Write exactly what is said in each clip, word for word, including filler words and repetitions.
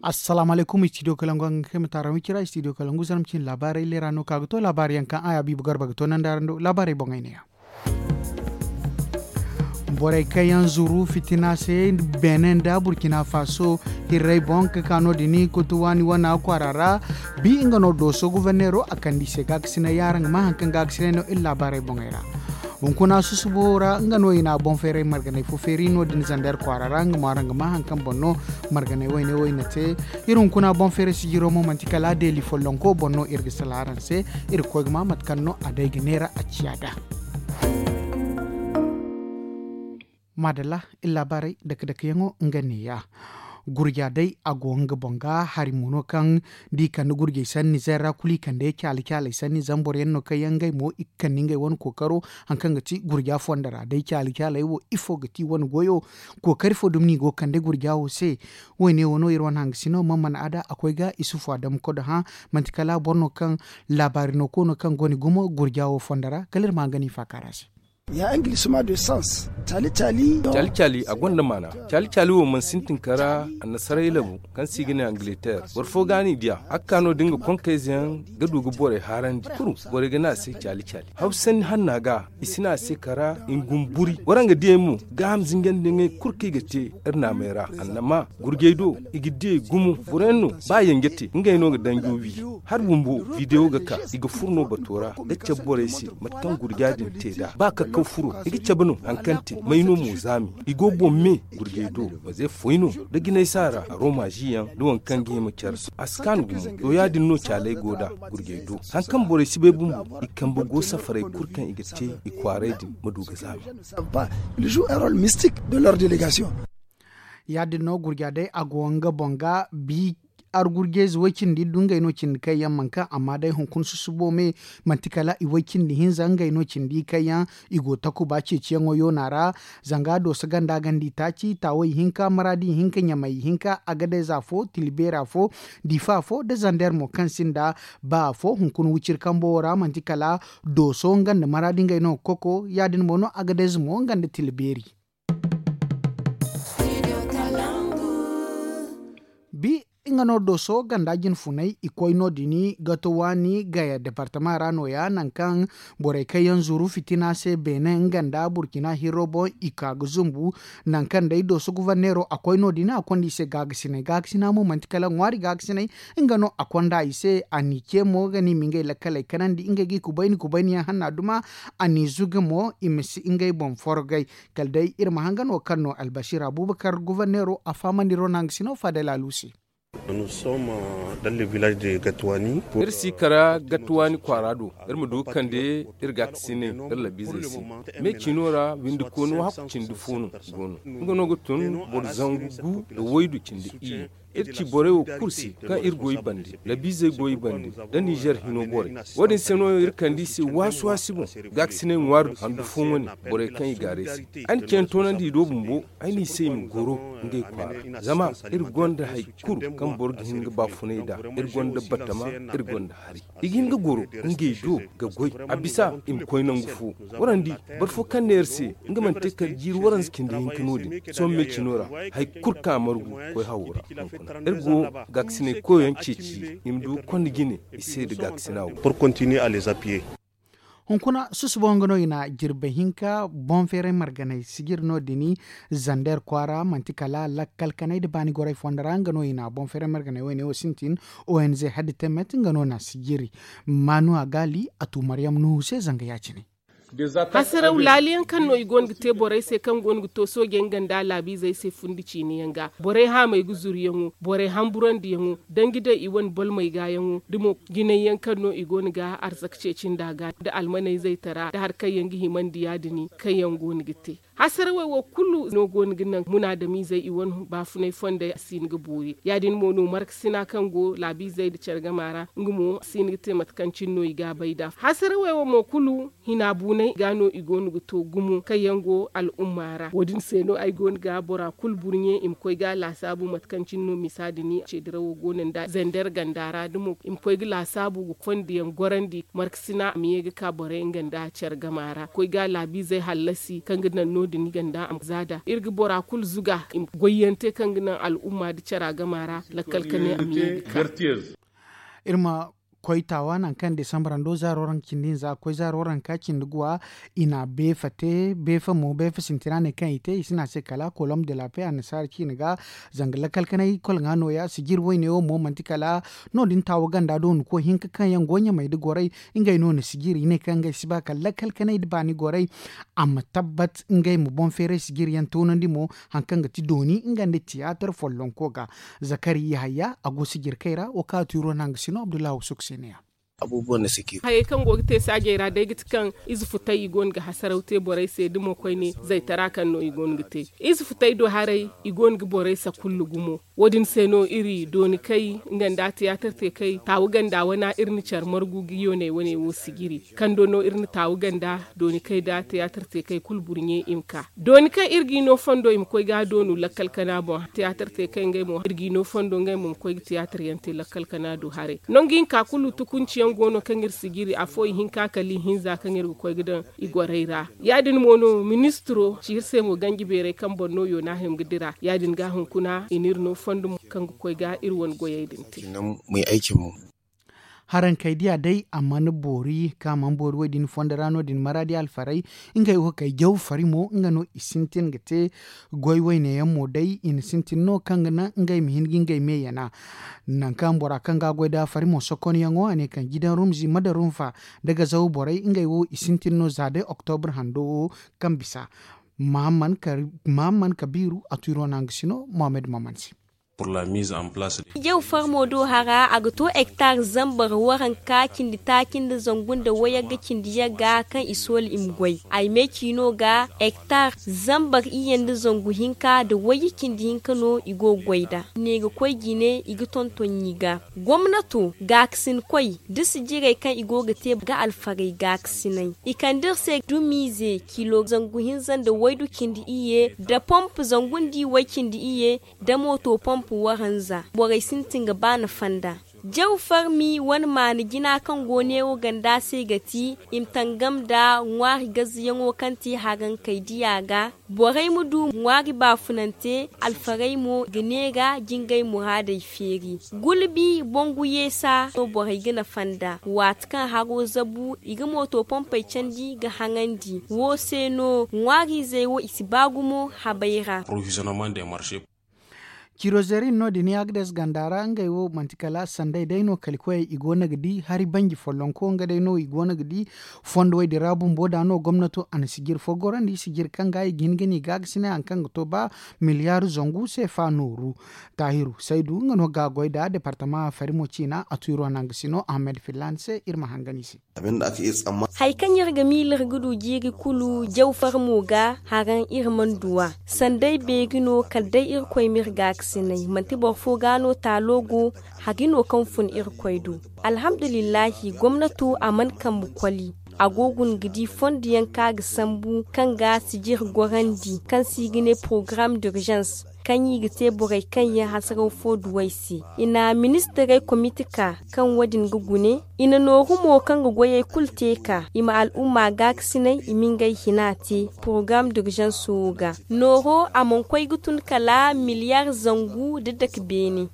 Assalaamu alaykum, istidiyo kalangu haŋ ga kay ma taaraŋ wicira istidiyo kalangu zarma cine laabaarey leera no ka ga to laabaari yaŋ kaŋ a ya biiba garba ga to nanda araŋ do laabaarey boŋey ne ya. Borey kaŋ yaŋ zuru fitina se beene nda burkina faso hirrey boŋ ga ka no- din koto waani wana kwaara ra. Bi nga no dooso guverneero a kande i se gaakasinay yaŋ araŋ ga maa hari kaŋ gaakasinay no iri laabaarey boŋey ra. Hunkuna susubo ra nga no i na boŋ feeray marganay fo feeri no- din zander kwaara ra nga mo araŋ ga maa hari kaŋ boŋ no marganay wayne wo i na te. Iri hunkuna boŋ feeray sijiro mo manti kala deeli follonko boŋ no iri ga sala araŋ se. Iri ga koy ga maa mate kaŋ no a day ga neera a ciya nd'a. Maadalla, iri laabaarey dake-dakeyaŋo nga neeya. Gurja day a go nga boŋ ga hari mo no kaŋ da i kande gurjey sanni nizeer ra kulu i kande caali-caaley sanni zama boro yaŋ no kaŋ yaŋ ngey mo i ga kande ngey wane kookaro. Hari kaŋ ga ti gurja fonda ra day caali-caaley wo ifo ga ti wane goyo? Kookari fo dumi no i go ga kande gurja wo se? Woyne wo no iri wane hangasino man mana a da a koy ga isufu adamu kodo hã. Manti kala boro no kaŋ laabaari no koono kaŋ go ni gumo gurja wo fonda ra kala iri ma hanga no i faakaara se. Ya angilisma de sans caali-caali. Caali-caali a gonda maana. Caali-caali wo mana sintin kara annasaray labu kaŋ se i ga ne angileter. Boro fo ga no i diya a ga ka no- din ga konkayze yaŋ ga du ga borey haarandi kuru. Borey ga ne a se caali-caali hawsanni hanna ga i si ne a se kara i ma gumo buri. Waraŋ ga diyey mo gaaham zinjandi yaŋey kulu kaŋ i ga te iri naamey ra annama gurjey do i ga diyey gumo boro yaŋ no ba yanje te ngey no ga danjo wi. Hari bumbo bidewo ga ka i ga furo no bato ra ga cabe borey se mate kaŋ gurja din te nd'a ba kakkaw furo i ga cabe no hari kaŋ te may no mo zaami i go boŋ me. Gurjey do waze foy no da jinay saara aromaazi yaŋ da waŋ kaŋ ga hima care a si kaanu gumo. To ya- din no caaley go nd'a gurjey do hari kaŋ borey si bay bumbo i kambe go safarey kulu kaŋ i ga te i kwaaray din ma du ga zaami. Ya- din no gurja day a go nga boŋ ga bi argurjey ze way-cindi du ngey no cindi kaŋ yaŋ mana kaŋ amma day hunkuna susubo me manti kala i way-cindi hinza ngey no cindi kaŋ yaŋ i go takuba ceeciyaŋo yoona ra. Zanga dooso ganda ganda itaaci taawey ihinka maraadi ihinka ɲamey ihinka agadez afo tilbeeri afo diifa afo nda zander mo kaŋ sinda ba afo hunkuna wiciri kambo wo ra manti kala dooso nga nda maraadi ngey no ga koko ya- din mo no agadez mo nga nda tilbeeri. Bi nga no dooso ganda jinfunay i koy no- din gato waani gaya departama ra nooya nangu kaŋ borey kaŋ yaŋ zuru fitina se beene nga nda burkina hirro boŋ i ka ga zumbu. Nangu kaŋ day dooso guverneero a koy no- din a konda i se gaagasinay gaagasina mo manti kala ŋwaari gaagasinay nga no a konda i se a n'i ce mo ga ni ma ngey lakkaley kanandi ngey ga i kubayni kubayni yaŋ hanna duma. A n'i zuga mo i ma si ngey boŋ forgay. Kala day iri ma hanga no kaŋ no albasir abubakar guverneero a fahamandi ronang sino fadel alu se. Iri si kara gattuwaani kwaara do iri ma du ga kande iri gaakasinay iri labiizey se. Me ciino ra windi koonu hakku cindi fo no go no nga no ga tun boro zangu gu nda waydu cindi iyye. Iri ci borey wo kulu se kaŋ iri go i bande labiizey go i bande nda nizer hino borey. Wo- din se no iri kande i se waasi-waasi boŋ gaakasinay ŋwaari handu fo wane borey kaŋ i gaaray se. Ay na ceene toonandi i do bumbo ay ne i se i ma goro ngey kwaara zama iri gonda hari kulu kaŋ boro ga hin ga baafunay nd'a. Iri gonda batama, iri gonda hari i ga hin ga goro ngey do ga goy a bisa i ma koy nangu fo. Warandi boro fo kaŋ ne iri se nga mana te kala jiiri waranza cindi hinka no- din sohõ me cino ra hari kulu kaŋ a margu koy hawo ra. Iri go gaakasinay koyyaŋ ceeci i ma du ga konda jine i se nda gaakasina wo. Hunkuna susubo nga no i na jirbi hinka boŋ feeray marganay sijiri no- din zander kwaara manti kala lakkal kanay nda baani gorey fonda ra nga no i na boŋ feeray marganay wayne wo sintin. Ong haddi temet nga no na sijiri maanu a gaali a tu maryam nuhu se zanga ya- cine. Hasaraw laaliyaŋ kaŋ no i go no ga te borey se kaŋ go no ga to soojey nga nda laabiizey se fundi ciine yaŋ ga borey haamey ga zuru yaŋo borey hamburandiyaŋo danji day i wane bolmey gaayaŋo da mo jinay yaŋ kaŋ no i go no ga arzaka ceeci nda a ga nda almaney zaytara nda hari kaŋ yaŋ ga himandi ya- din kaŋ yaŋ go no ga te. Hasarawey wo kulu no go no ga naŋ munaadamiizey i wane baafunay fondey a si hin ga boori ya- din mo no markasina kaŋ go laabiizey nda care gama ra nga mo a si hin ga te mate kaŋ cine no i ga a bay nd'a hasarawey wo mo kulu hina buunay ga no i go no ga to gumo kaŋ yaŋ go al'umma ra wo- din se no ay go no ga bora kulu burɲe i ma koy ga laasaabu mate kaŋ cine no misa din ce dirawo go no nda zander ganda ra da mo i ma koy ga laasaabu ga kondiyaŋ gorandi markasina a ma ye ga ka borey nga nda care gama ra koy ga laabiizey hallasi kaŋ ga naŋ no. Din ganda a ma za da iri ga bora kulu zuga i ma goyyaŋ te kaŋ ga naŋ al'umma nda cara gama ra lakkal ka ne a ma yeebi ka. Iri ma koy taawa nangu kaŋ desambar hando zaaro ranka cindi hinza ga koy zaaro ranka cindi guwa. I na beefa te beefa mo beefa sintina ne kaŋ i te i si ne a se kala kolom de la pe annasaara ciine ga. Zanga lakkal kanay kolŋa nooya sijiri wayne wo mo manti kala no- din taawa ganda do ni koy hinka kaŋ yaŋ go ɲamey nda gorey. Ngey no na sijiri i ne kaŋ ngey si ba kala lakkal kanay nda baani gorey a ma tabbat ngey ma boŋ feeray sijiri yaŋ toonandi mo. Hari kaŋ ga ti dooni nga nda tiyaatar follonko ga zakari yahaya a go sijirkey ra wo kaŋ a tuuro no a ga si no abdullahi wusuk se ne ya. Hayey kaŋ go ga te saajey ra day ga ti kaŋ ize futay i go no ga hasaraw te borey se da mo koyne zaytara kaŋ no i go no ga te. Ize futay do haray i go no ga borey sakullu gumo. Wo- din se no iri dooni kay nga nda tiyaatar te kay taawu ganda wana iri na care margu ga yooney wane wo sijiri. Kando no iri na taawu ganda dooni kay nda tiyaatar te kay kulu burɲe i ma ka dooni kaŋ iri ga i no fondo i ma koy ga a doonu lakkal kana boŋ tiyaatar te kay ngey mo iri ga i no fondo ngey mo ma koy ga tiyaatar yaŋ te lakkal kana do haray. Nangu hinka kulu tukunci yaŋ go no kaŋ iri sijiri afo ihinka kala ihinza kaŋ iri ga koy ga daŋ i gorey ra. Ya- din mo no ministiro ci iri se mo ganji beerey kaŋ boŋ no yoona hima ga dira ya- din ga hunkuna i n'iri no fondo kaŋ ga koy ga iri wane goyey din te. Harankey diya day a mana boori kaŋ a mana boori wo- din fondo ra no- din maraadi alfarey. Ngey wo kay jaw fari mo nga no i sintin ga te goy wayne yaŋ mo day i na sintin no kaŋ ga naŋ ngey ma hin ga ngey me yana. Nangu kaŋ bora kaŋ ga a goy da fari mo sokonyaŋo a ne kaŋ jidan rumzi mada rumfa nda gazaw borey ngey wo i sintin no za day oktobra hando wo kaŋ bisa. Mahamman kabiiru a tiro no a ga si no mohammed maman se. Jaw farmo do hara a ga to hektar zambar waranka cindi taaci nda zangu nda wayagga cindi yagga kaŋ i soola i ma goy ay meeci no ga hektar zambar iyye nda zangu hinka nda wayye cindi hinka no i go ga goy nd'a i ne ga koy jine i ga tonton ɲi ga. Gomnato gaakasinkoy da sijirey kaŋ i go ga te ga alfarey gaakasinay i kande iri se dumiize kilo zangu hinza nda waydu cindi iyye nda pomp zangu nda i way cindi iyye nda mooto pomp waranza borey sintin ga baana fonda. Jaw farmi wane maana jina kaŋ go neewo ganda se ga ti i ma tangam nda ŋwaari gazziyaŋo kaŋ te harankey diya ga borey ma du ŋwaari baafunante alfarey mo ga neera jingay muraadey feeri. Gulbi bongu yeesa no borey ga na fonda waati kaŋ haro zabu i ga mooto pompey candi ga haŋandi wo se no ŋwaariizey wo i si ba gumo habay ra. Cirozerin no- din yaagades ganda ra ngey wo manti kala sanday day no kalikoyey i go no ga di hari banji follonko nga day no i go no ga di. Fondowey din ra bumbo da no gomnato a na sijiri fo gorandi sijiri kaŋ ga i ga hin ga ni gaagasinay hari kaŋ ga to ba miliyaari zangu seefa nooru. Taahiru saydu nga no ga goy da departama farimo ciina a tuuro naŋ ga si no ahamed fillan se iri ma hangan i se. Hari kaŋ iri ga miila iri ga du jiiri kulu jaw farmo ga haraŋ iri mana du a. Sanday beeri no kala day irkoy ma iri gaakasinay manti boro fo ga no taalo go. Hari no kaŋ fun irkoy do. Alhamdulillahi gomnato a mana kambe koli. A go guna ga di fondo yaŋ kaŋ a ga sambu kaŋ ga sijiri gorandi kaŋ se i ga ne porogaram d'urgence kaŋ i ga te borey kaŋ yaŋ hasaraw fo duwey se. I na ministirey komite ka kaŋ wo- din ga gune. I na nooru mo kaŋ ga goyey kulu te ka i ma al'umma gaakasinay i ma ngey hina te porogaram d'urgence wo ga. Nooro a mana koy ga tun kala miliyaari zangu nda dake beene.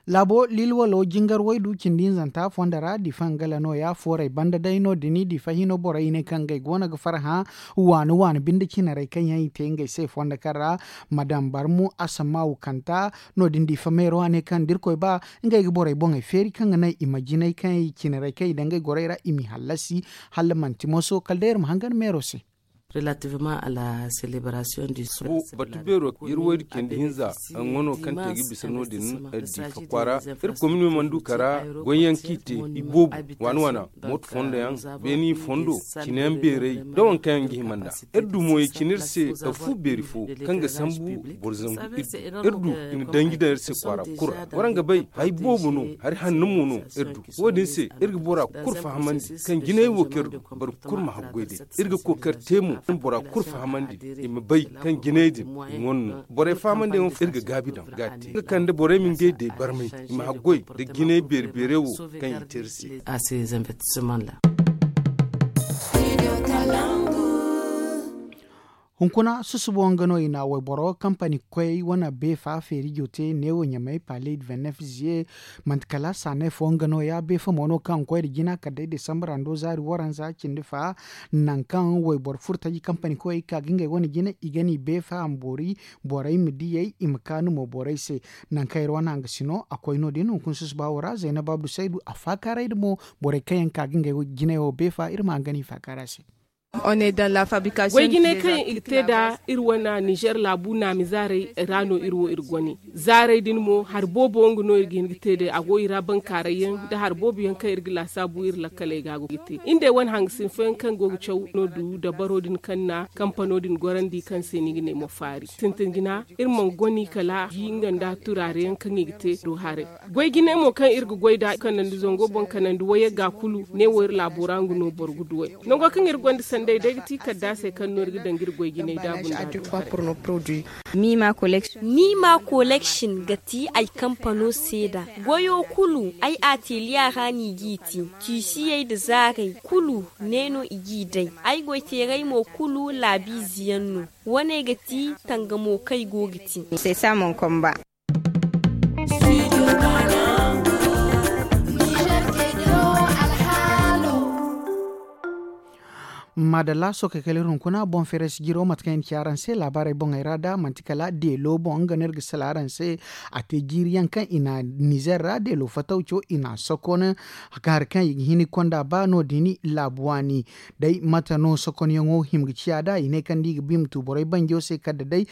Laabo lilwalo jingar waydu cindi hinzanta fondo ra difa nga la nooya foorey banda day no- din difa hino borey i ne kaŋ ngey go no ga farhã waani waani binde cinarey kaŋ yaŋ i te ngey se fondo kaŋ ra madam barmu asamaawu kanta. No- din difa meero a ne kaŋ da irkoy ba ngey ga borey boŋey feeri kaŋ ga naŋ i ma jinay kaŋ i cinarey kaŋ i daŋ ngey gorey ra i m'i hallasi. Hala manti moso kala day iri ma hangan meero se. Batu beero iri waydu cindi hinza nga no kaŋ te ga bisa no- din difa kwaara. Iri komino mana du kara goyyaŋ kaŋ i te i boobo waana waana mooto fondo yaŋ beeni fondo cine yaŋ beerey nda waŋ kaŋ yaŋ ga hima nd'a. Iri du mo i cine iri se fu beeri fo kaŋ ga sambu boro zangu iri du. Iri du i na danji daŋ iri se kwaara kulu ra waraŋ ga bay hari boobo no hari hanno mo no. Iri du wo- din se iri ga bora kulu fahamandi kaŋ jinay wo kaŋ iri du boro kulu ma haggoy day. Iri ga kookari te mo kaŋ bora kulu fahamandi i ma bay kaŋ jinay din i wane no borey fahamandiyaŋo iri ga gaabi daŋ ga a te nga kande borey ma ngey day barmay i ma haggoy nda jinay beeri beerey wo kaŋ i te iri se. A se zambetisima ra. Hunkuna susubo nga no i na wayboro kampani koy wane beefa feerijo te neewo ɲamay paley de vingt-neuf ziye. Manti kala saanay fo nga no ya beefa mo no kaŋ koy nda jina kala day desambra ndo zaari waranza cindi fa. Nangu kaŋ wayboro furtaji kampani koy ka ga ngey wane jina i ga ni beefa a ma boori borey ma diyey i ma kaanu mo borey se. Nangu kaŋ iri wane hanga si no a koy no- din hunkuna susuba wo ra zaynab abdu saydu a faakaaray nda mo borey kaŋ yaŋ ka ga ngey jinay wo beefa iri ma hanga ni faakaara se. Goy jinay kaŋ i ga te nda iri wane nizer laabu naami zaaray ra no iri wo iri gone. Zaaray din mo hari boobo nga no iri ga hin ga te day a go i ra bankaaray yaŋ nda hari boobo yaŋ kaŋ iri ga laasaabu iri lakkaley ga go ga te. Iri day wane hangasin fooyaŋ kaŋ go ga caw no du dabaro din kaŋ na kampano din gorandi kaŋ se ni ga ne mo faari sintin jina. Iri mana goni kala ji nga nda turaare yaŋ kaŋ i ga te do haray. Goy jinay mo kaŋ iri ga goy nd'a kanandi zango boŋ kanandi wayagga kulu ne wo iri laabo ra nga no boro ga duw'ey. Nango kaŋ iri gonda sanday day ga ti kaddaasey kaŋ no iri ga daŋ ga iri goy jinay daabu nda. Nima collection ga ti ay kampano seeda. Goyo kulu ay ateliya ra no i g'i ti. Tiisiyey nda zaarey kulu ne no i g'i day. Ay goyteerey mo kulu laabiize yaŋ no. Wane ga ti tangamo kaŋ ay go ga ti. Maadalla sookey kala iri hunkuna boŋ feeray si jiro mate kaŋ i na ci araŋ se laabaarey boŋey ra da manti kala deelo boŋ nga no iri ga sala araŋ se. A te jiiri yaŋ kaŋ i na nizer ra deelo fatawco i na a sokon hari kaŋ i ga hin ga konda ba no- din laabu waani. Day mate no sokonyaŋo hima ga ciya nd'a i ne kaŋ da i ga ba i ma tu borey banjo se kala da day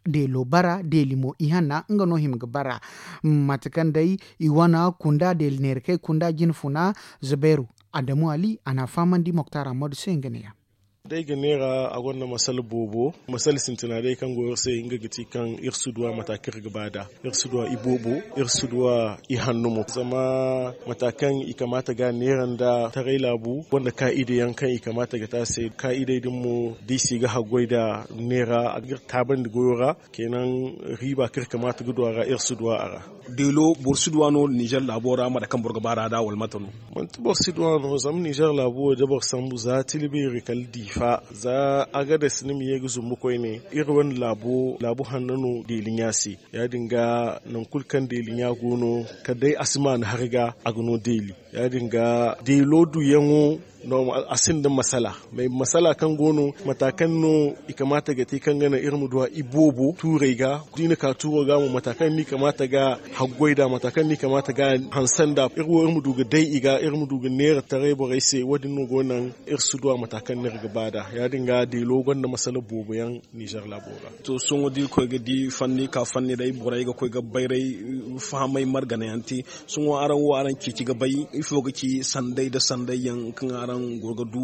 deelo bara deeli mo ihanna nga no hima ga bara. Mate kaŋ day i wane kunda deeli neera kaŋ i kunda jinfuna. Zubairu adamu ali a n'a fahamandi moktar ammadu se nga ne- ya. Day ga neera a gonda masala boobo. Masala sintina day kaŋ go iri se nga ga ti kaŋ iri si duw'a mata kaŋ iri ga ba nd'a. Iri si duw'a iboobo. Iri si duw'a ihanno mo zama mata kaŋ i kamaata ga neera nda taray laabu gonda kaa'ida yaŋ kaŋ i kamaata ga te a se kaa'idey din mo da i si ga haggoy nda neera a ga iri taabandi goyo ra. Kenan riiba kaŋ iri kamaata ga du a ra iri si du a ra. Deelo boro si du a no nizer laabo ra mate kaŋ boro ga ba ra da wala mate no? Manti boro si du a no zama nizer laabo wo da boro sambu za tilibeeri kala diifa za agades ni ma ye ga zumbu koyne. Iri wane laabo laabu hanno no deeli ɲa se. Ya- din ga nangu kulu kaŋ deeli ɲa go no kala day a si maana hari ga a ga no deeli. Ya- din ga deelo duyaŋo a sinda masala. Mais masala kaŋ go no mata kaŋ no i kamaata ga te kaŋ ga naŋ iri ma du a iboobo tuurey ga da i na ka tuuro ga mo mata kaŋ no i kamaata ga haggoy nd'a mata kaŋ no i kamaata ga hanse nd'a iri wo iri ma du ga day i ga iri ma du ga neera taray borey se wo- din no go naŋ iri si du a mata kaŋ no iri ga ba nd'a. Ya- din ga deelo gonda masala boobo yaŋ nizer laabo ra. To sohõ da iri koy ga di fanni ka fanni day borey ga koy ga bayray fahamay margana yaŋ te. Sohõ araŋ wo araŋ ceeci ga bay ifo ga ci sanday nda sanday yaŋ kaŋ araŋ go ga du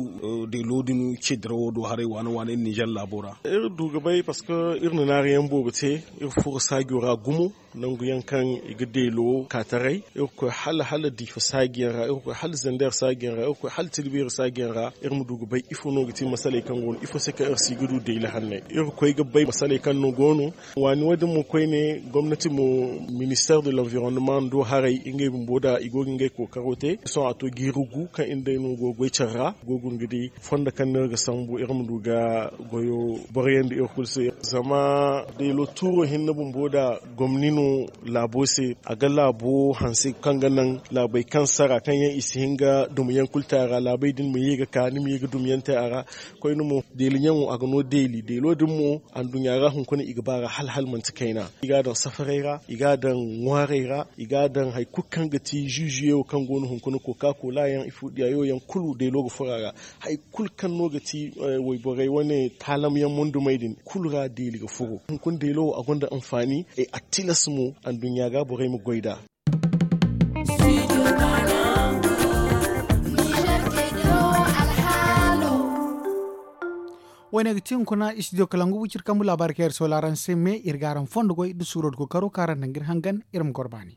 deelo din ce dirawo do haray waane waane nizer laabo ra? Iri du ga bay parceque iri na naarayaŋ boobo te. Iri furo saajo ra gumo nangu yaŋ kaŋ i ga deelo ka taray. Iri ga koy hala hala diifa saaji yaŋ ra iri ga koy hala zander saaji yaŋ ra iri ga koy hala tilbiiri saaji yaŋ ra. Iri ma du ga bay ifo no ga ti masaley kaŋ go no ifo se kaŋ iri si ga du deeli hanney iri ga koy ga bay masaley kaŋ no go no. Waani wo- din mo koyne gomnati mo minister de l'environnement do haray ngey bumbo da i go ga ngey kookaro te sohõ a to jiiri gu kaŋ iri day no go ga goy care ra. Go ga nga di fondo kaŋ no iri ga sambu iri ma du ga goyo boroyaŋ da iri kulu se. Zama deelo tuuro hinne bumbo da gomni no laabo se a ga laabo hanse kaŋ ga naŋ laabey kaŋ sara kaŋ yaŋ i si hin ga dumiyaŋ kulu te a ra laabey din ma ye ga ka ni ma ye ga dumiyaŋ te a ra. Koyne mo deeli ɲaŋo a ga no deeli deelo din mo anduɲɲa ra hunkuna i ga ba ra hala hala manti kayna i ga a daŋ safarey ra i ga a daŋ ŋwaarey ra i ga a daŋ hari kulu kaŋ ga ti zuzuye wo kaŋ go no hunkuna koka kola yaŋ ifo diyayo yaŋ kulu deelo ga furo a ra. Hari kulu kaŋ no ga ti wayborey wane taalamyaŋ mondumey din kulu ra deeli ga furo hunkuna deelo wo a gonda anfaani. A tilas mo anduɲɲa ga borey ma goy nd'a. Wo- ne ga ti hunkuna studio kalangu wiciri kambu laabaari kaŋ iri soola araŋ se me iri ga araŋ fondo goy nda suuro nda kookaro kaŋ araŋ daŋ ga iri hangan iri ma goro baani.